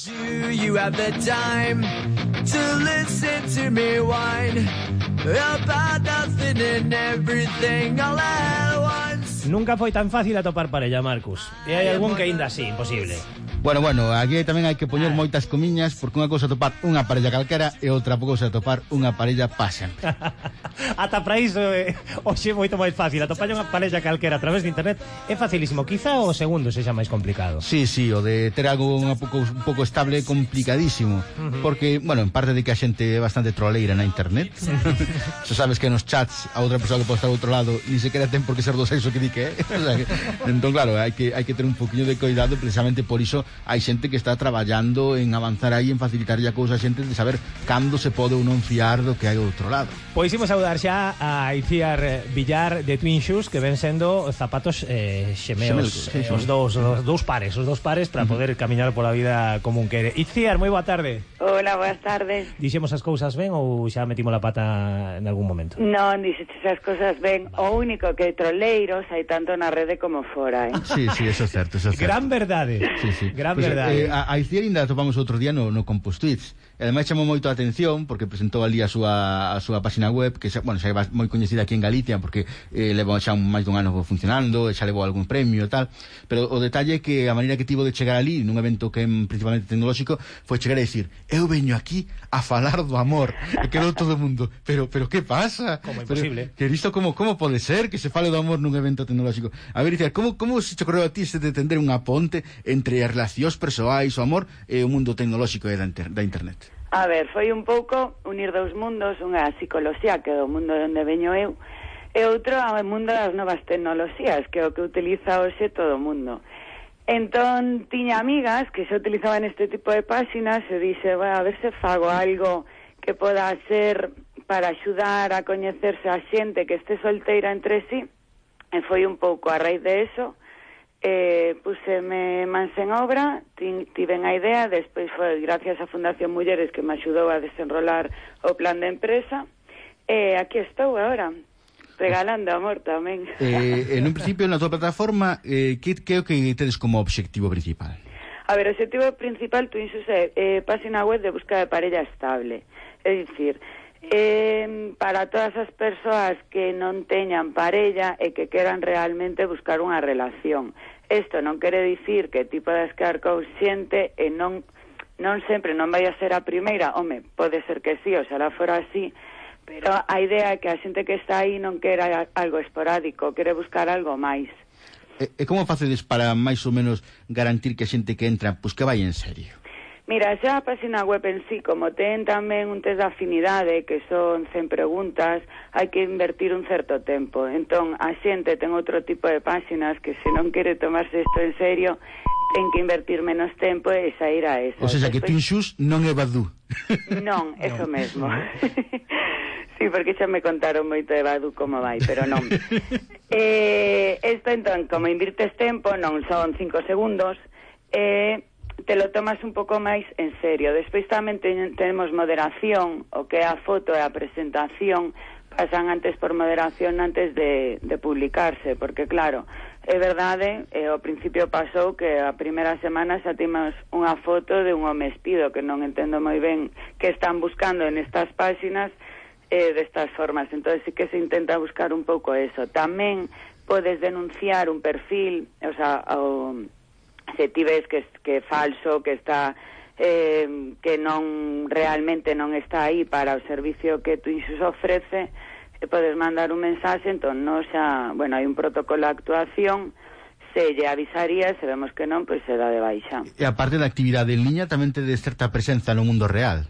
Do you have the time to listen to me whine about nothing and everything all at once? Nunca foi tan fácil atopar parella, Marcus. E hai algún que aínda así, imposible. Bueno, aquí tamén hai que poñer moitas comiñas, porque unha cousa topar unha parella calquera e outra cousa topar unha parella pa sempre. Ata para iso hoxe é moito máis fácil. Atopar unha parella calquera a través de internet é facilísimo. Quizá o segundo sexa máis complicado. Sí, o de ter algo un pouco estable é complicadísimo. Porque, bueno, en parte de que a xente é bastante troleira na internet. Se sabes que nos chats a outra persoa que pode estar ao outro lado ni sequera ten por que ser do sexo que di que é. O sea, entón, claro, hai que ter un poquinho de cuidado. Precisamente por iso hai xente que está traballando en avanzar aí, en facilitarlle a cousa a xente de saber cando se pode ou non fiar do que hai do outro lado. Pois imos saudar xa a Iciar Villar de Twin Shoes, que ven sendo zapatos xemeos, os dous pares para poder camiñar pola vida como un quere. Iciar, moi boa tarde. Hola, boas tardes. Dixemos as cousas ben ou xa metimos la pata en algún momento? Non, dixeches as cousas ben. O único que troleiros hai tanto na rede como fora, Sí, eso é certo, Gran verdade. Sí. Gran pues, verdade. A Iciar ainda topamos outro día no Compos Tweets. E ademais chamou moito a atención porque presentou ali a súa página web, que xa é moi coñecida aquí en Galicia porque leva xa máis dun ano funcionando, xa levou algún premio e tal, pero o detalle é que a maneira que tivo de chegar ali nun evento que é principalmente tecnolóxico foi chegar a dicir: eu veño aquí a falar do amor. E quedou todo o mundo, pero que pasa? Como imposible. Que isto como pode ser que se fale do amor nun evento tecnolóxico? A ver, Iciar, como se te ocorreu a ti de tender unha ponte entre as relacións persoais, o amor e o mundo tecnolóxico e da internet? A ver, foi un pouco unir dous mundos, unha psicoloxía que é o mundo onde veño eu e outro ao mundo das novas tecnoloxías, que é o que utiliza hoxe todo o mundo. Entón, tiña amigas que xa utilizaban este tipo de páxinas e dixe, bueno, a ver se fago algo que poda ser para axudar a coñecerse a xente que este solteira entre sí, e foi un pouco a raíz de eso. Puseme mans en obra, tiven a idea, despois foi gracias á Fundación Mulleres que me axudou a desenrolar o plan de empresa, e aquí estou agora, regalando amor tamén. En un principio, na tua plataforma, que é o que tedes como obxectivo principal? A ver, o obxectivo principal, Twin Shoes, é página web de busca de parella estable, é dicir, para todas as persoas que non teñan parella e que queran realmente buscar unha relación. Isto non quere dicir que ti podas quedar con xente e non sempre non vai a ser a primeira. Home, pode ser que sí, oxalá fora así, pero a idea é que a xente que está aí non quera algo esporádico, quere buscar algo máis. E como facedes para máis ou menos garantir que a xente que entra, pois que vai en serio? Mira, xa a página web en sí, como ten tamén un test de afinidade, que son 100 preguntas, hai que invertir un certo tempo. Entón, a xente ten outro tipo de páxinas que se non quere tomarse isto en serio, ten que invertir menos tempo e sair a esa. O sea, que Twin Shoes non é Badoo. Non, eso mesmo. Sí, porque xa me contaron moito de Badoo como vai, pero non. Isto, entón, como invirtes tempo, non son 5 segundos, te lo tomas un pouco máis en serio. Despois tamén tenemos moderación, o que é a foto e a presentación, pasan antes por moderación antes de publicarse, porque claro, é verdade, ao principio pasou que a primeira semana xa temos unha foto de un home espido, que non entendo moi ben que están buscando en estas páxinas destas formas. Entón sí que se intenta buscar un pouco eso. Tamén podes denunciar un perfil, o sea, se ti ves que é falso, que está que non realmente non está aí para o servicio que Twin Shoes ofrece, podes mandar un mensaxe. Entón, non xa, bueno, hai un protocolo de actuación, se lle avisaría, se vemos que non, pois se dá de baixa. E a parte da actividade en liña tamén tedes certa presenza no mundo real?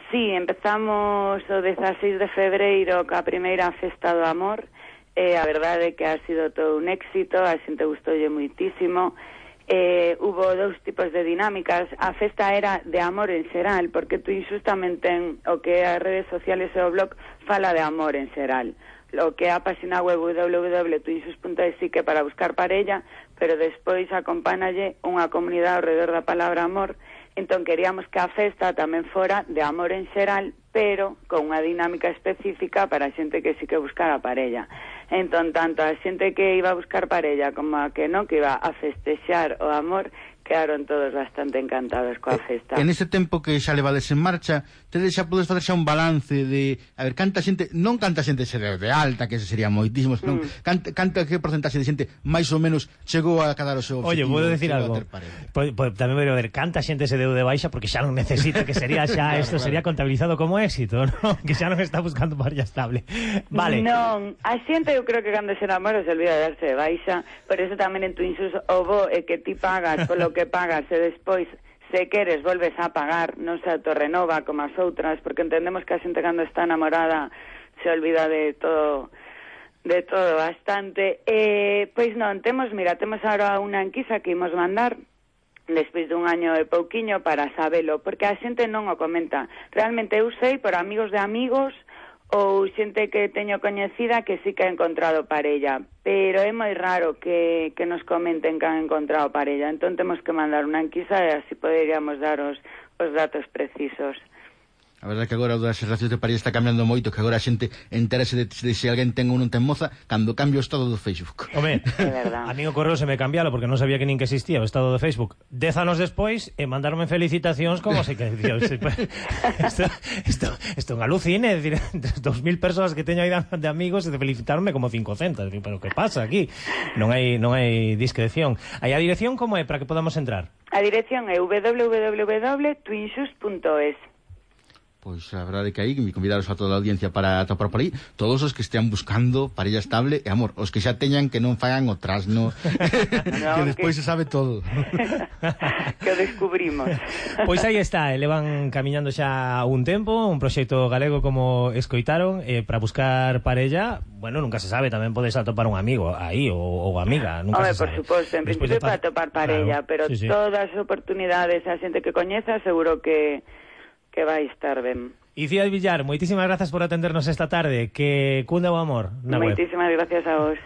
Sí, empezamos o 16 de febreiro ca primeira festa do amor, e a verdade é que ha sido todo un éxito, a xente gustoulle moitísimo. Hubo dous tipos de dinámicas. A festa era de amor en xeral, porque Twin Shoes tamén ten o que as redes sociales e o blog fala de amor en xeral, o que é a página web www.twinshoes.es que para buscar parella, pero despois acompánalle unha comunidade ao redor da palabra amor. Entón queríamos que a festa tamén fora de amor en xeral, pero con unha dinámica específica para a xente que sí que buscara parella. Entón, tanto a xente que iba a buscar parella como a que non, que iba a festexar o amor, quedaron todos bastante encantados coa festa. En ese tempo que xa levades en marcha, tedes xa podes facer xa un balance de, a ver, canta xente se deu de alta, que ese sería moitísimo, senón, canta que porcentaxe de xente máis ou menos chegou a cadar o seu objetivo. Oye, vou decir algo. Tamén vou ver, canta xente se deu de baixa porque xa non necesita, que sería xa, isto sería contabilizado como éxito, ¿no? Que xa non está buscando parella estable. Vale. Non, a xente eu creo que cando se enamora se olvida de darse de baixa, por eso tamén en Twinsus o bo é que ti pagas polo que pagas e despois, se queres, volves a pagar, non se autorrenova como as outras, porque entendemos que a xente cando está enamorada se olvida de todo bastante. Pois non, temos agora unha enquisa que imos mandar despois dun año e pouquiño para sabelo, porque a xente non o comenta. Realmente eu sei por amigos de amigos ou xente que teño coñecida que sí que ha encontrado parella, pero é moi raro que nos comenten que han encontrado parella, entón temos que mandar unha enquisa e así poderíamos dar os datos precisos. A verdade é que agora o das relacións de parella está cambiando moito, que agora a xente entérase de se alguén ten ou non ten moza cando cambia o estado do Facebook. Home, a mí o correo se me cambialo porque non sabía que nin que existía o estado do Facebook. 10 anos despois e mandarme felicitacións como se que isto é un alucine, é dicir, 2000 persoas que teño aí de amigos e de felicitarme como 500, pero que pasa aquí? Non hai discreción. Aí a dirección como é para que podamos entrar? A dirección é www.twinsus.es. Pois a verdade é que aí me convidaros a toda a audiencia para topar por aí todos os que estean buscando parella estable e amor, os que xa teñan que non fagan o trasno que despois se sabe todo. Que o descubrimos. Pois aí está, levan camiñando xa un tempo, un proxecto galego como escoitaron, para buscar parella. Bueno, nunca se sabe, tamén podes atopar un amigo aí ou amiga, nunca se sabe. Por suposto, en principio para atopar parella, claro, pero sí. Todas as oportunidades a xente que coñeza seguro que vai estar ben. Iciar Villar, moitísimas grazas por atendernos esta tarde, que cunda o amor na web. Moitísimas gracias a vos.